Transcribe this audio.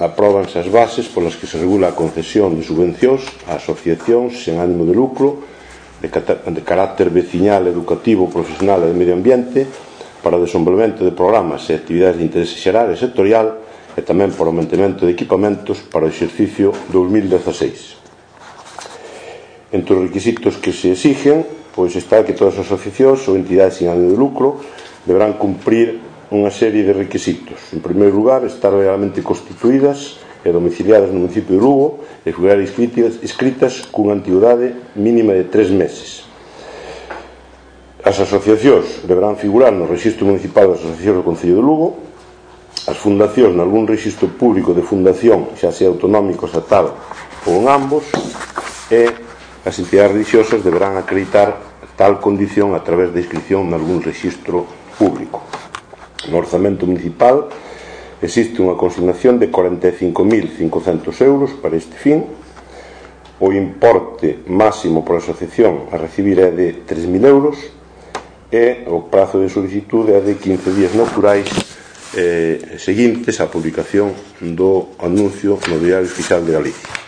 apróbanse as bases polas que se regula a concesión de subvencións a asociacións sen ánimo de lucro de carácter veciñal, educativo, profesional e de medio ambiente para o desenvolvemento de programas e actividades de interese xeral e sectorial e tamén para o mantemento de equipamentos para o exercicio 2016. Entre os requisitos que se exigen, pois está que todas as asociacións ou entidades sin ánimo de lucro deberán cumprir unha serie de requisitos. En primeiro lugar, estar legalmente constituídas e domiciliadas no municipio de Lugo e figurar inscritas cunha antigüedade mínima de 3 meses. As asociacións deberán figurar no Rexistro Municipal das Asociacións do Concello de Lugo, as fundacións nalgún rexistro público de fundación, xa sea autonómico, estatal ou en ambos, e as entidades religiosas deberán acreditar tal condición a través da inscripción nalgún rexistro público. No orzamento municipal existe unha consignación de 45.500 euros para este fin. O importe máximo por asociación a recibir é de 3.000 euros e o prazo de solicitude é de 15 días naturais seguintes á publicación do anuncio no Diario Oficial de Galicia.